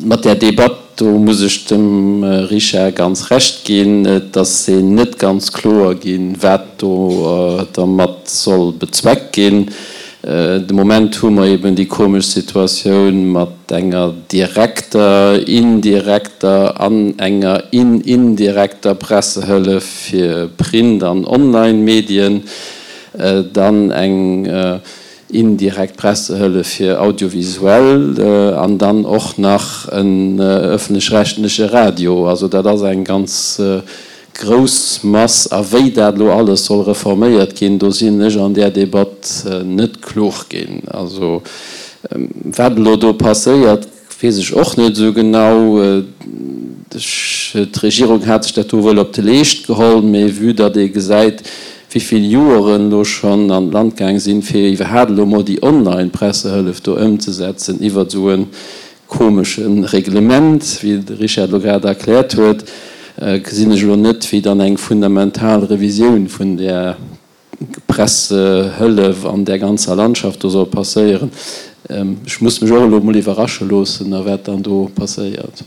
Mat där Debatt, do muss ech dem Richard ganz Recht ginn, et ass een net ganz kloer ginn, wat do dermat soll bezweckt ginn. De Moment hu mer eben déi komesch Situatioun mat enger direkter, indirekter an enger in-indirekter Pressehëllef fir Print an Online-Medien, dann eng indirekt Pressehëllef fir Audiovisuell an dann och nach en öffentlech-rechtleche Radio. Also dat ass eng ganz grouss Mass. A wéi dat elo alles soll reforméiert ginn, do sinn ech an där Debatt net klug ginn. Also wat elo do passéiert, Weess ech och net esou genau. D'Regierung hat sech dat do wuel op de Leescht geholl, mee vue datt ee gesäit, wéi vill Joeren elo schonn an d'Land gaang sinn, fir iwwerhaapt elo emol déi Online-Pressehëllef do ëmzesetzen iwwert esou e komesche Reglement, wéi de Richard elo grad erkläert huet, gesinn ech elo net, wéi dann eng fundamental Revisioun vun där Pressehëllef an där ganzer Landschaft do soll passéieren. Ech muss mech och elo emol iwwerrasche loossen, a wat dann do passéiert.